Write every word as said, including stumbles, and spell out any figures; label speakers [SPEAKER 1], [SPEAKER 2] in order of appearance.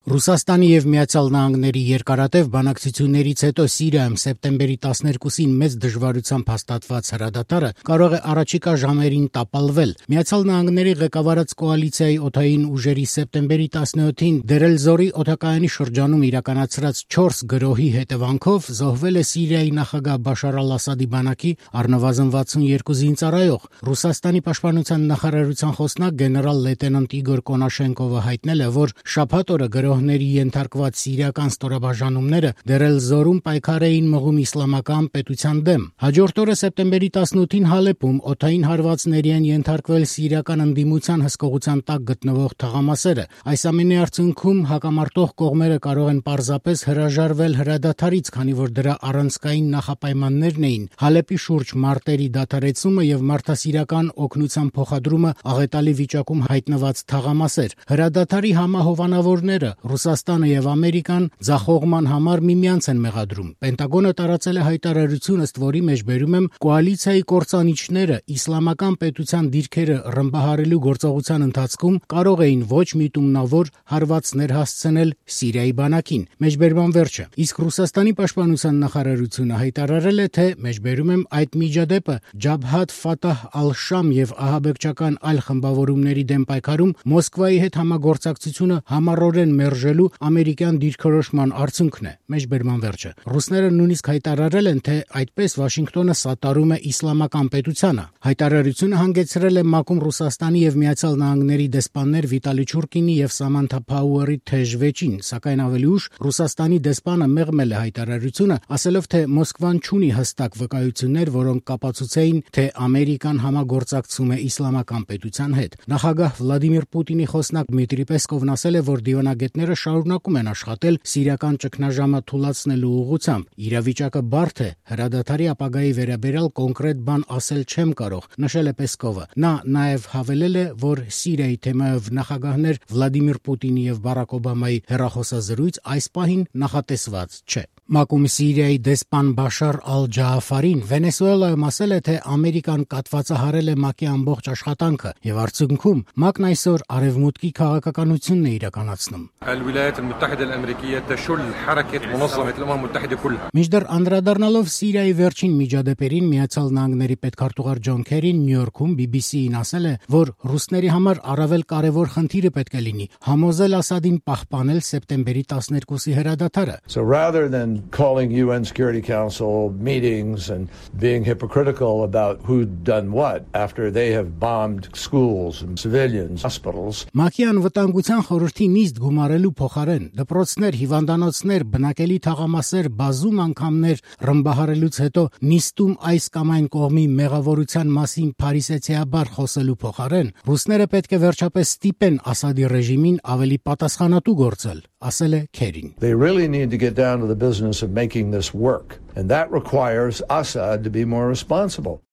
[SPEAKER 1] Ռուսաստանի և Միացյալ Նահանգների երկարատև բանակցություններից հետո Սիրիայում սեպտեմբերի տասներկուսին մեծ դժվարությամբ հաստատված հրադադարը կարող է առաջիկա ժամերին տապալվել։ Միացյալ Նահանգների ղեկավարած կոալիցիայի օդային ուժերի սեպտեմբերի տասնյոթին Դեր-էլ-Զորի օդակայանի շրջանում իրականացրած չորս գրոհի հետևանքով զոհվել է Սիրիայի նախագահ Բաշար ալ-Ասադի բանակի առնվազն վաթսունյոթ զինծառայող։ Ռուսաստանի պաշտպանության նախարարության խոսնակ գեներալ լեյտենանտ Իգոր Կոնաշենկովը հայտնել է, որ շաբաթ օրը գրոհների ենթարկված սիրիական ստորաբաժանումները Դեր-էլ-Զորում պայքար էին մղում իսլամական պետության դեմ։ Հաջորդ օրը սեպտեմբերի տասնութին Հալեպում օդային հարվածների են ենթարկվել սիրիական ընդդիմության հսկողության տակ գտնվող թաղամասերը։ Այս ամենի արդյունքում հակամարտող կողմերը կարող են պարզապես հրաժարվել հրադադարից, քանի որ դրա առանցքային նախապայմաններն էին Հալեպի շուրջ մարտերի դադարեցումը եւ մարդասիրական օգնության փոխադրումը աղետալի վիճակում հայտնված թաղամասեր։ Հրադադարի համահովանավորները Ռուսաստանը եւ Ամերիկան ձախողման համար միմյանց են մեղադրում։ Պենտագոնը տարածել է հայտարարություն, ըստ որի մեջ բերում եմ կոալիցիայի կործանիչները իսլամական պետության դիրքերը ռմբահարելու գործողության ընթացքում կարող էին ոչ միտումնավոր հարվածներ հասցնել Սիրիայի բանակին։ Մեջբերման վերջը։ Իսկ Ռուսաստանի պաշտպանության նախարարությունը հայտարարել է, թե մեջբերում եմ այդ միջադեպը Ջաբհաթ Ֆաթահ ալ-Շամ եւ ահաբեկչական այլ խմբավորումների դեմ պայքարում Մոսկվայի հետ համագործակցությունը համառորեն մերժելու ամերիկյան դիրքորոշման արդյունքն է։ Մեջբերման վերջը։ Ռուսները նույնիսկ հայտարարել են, թե այդպես Վաշինգտոնը սատարում է իսլամական պետությանը։ Հայտարարությունը հանգեցրել է ՄԱԿ-ում Ռուսաստանի եւ Միացյալ Նահանգների դեսպաններ Վիտալի Չուրկինի եւ Սամանթա Փաուերի թեժ վեճին, սակայն ավելի ուշ Ռուսաստանի դեսպանը մեղմել է հայտարարությունը, ասելով, թե Մոսկվան չունի հստակ վկայություններ, որոնք կապացուցեին, թե Ամերիկան համագործակցում է իսլամական պետության հետ։ Նախագահ Վլադիմիր Պուտինի խոսնակ Դմիտրի Պեսկովն ասել է, որ դիվանագետները շարունակում են աշխատել սիրիական ճգնաժամը թուլացնելու ուղղությամբ։ Իրավիճակը բարդ է, հրադադարի ապագայի վերաբերյալ կոնկրետ բան ասել չեմ կարող, նշել է Պեսկովը։ Նա նաև հավելել է, որ Սիրիայի թեմայով նախագահներ Վլադիմիր Պուտինի եւ Բարակ Օբամայի հեռախոսազրույց այս պահին նախատեսված չէ։ ՄԱԿ-ում Սիրիայի դեսպան Բաշար ալ-Ջաաֆարին Վենեսուելայում ասել է, թե Ամերիկան կատվածահարել է ՄԱԿ-ի ամբողջ աշխատանքը եւ արդյունքում ՄԱԿ-ն այսօր արևմուտքի քաղաքականությունն է իրականացնում։ Մինչդեռ անդրադառնալով Սիրիայի վերջին միջադեպերին, Միացյալ Նահանգների պետքարտուղար Ջոն Քերին Նյու Յորքում բի բի սի-ին ասել է, որ ռուսների համար առավել կարևոր խնդիրը պետք է լինի համոզել Ասադին պահպանել սեպտեմբերի տասներկուսի հրադադարը։
[SPEAKER 2] So rather than calling U N Security Council meetings and being hypocritical about who'd done what after they have bombed schools and civilians, hospitals.
[SPEAKER 1] ՄԱԿ-ի անվտանգության խորհրդի նիստ գումարելու փոխարեն դպրոցներ, հիվանդանոցներ, բնակելի թաղամասեր, բազում անգամներ ռմբահարելուց հետո նիստում այս կամ այն կողմի մեղավորության մասին փարիսեցիաբար խոսելու փոխարեն ռուսները պետք է վերջապես ստիպեն Ասադի ռեժիմին ավելի պատասխանատու գործել, ասել է Քերին։
[SPEAKER 2] They really need to get down to the business of making this work, and that requires Assad to be more responsible.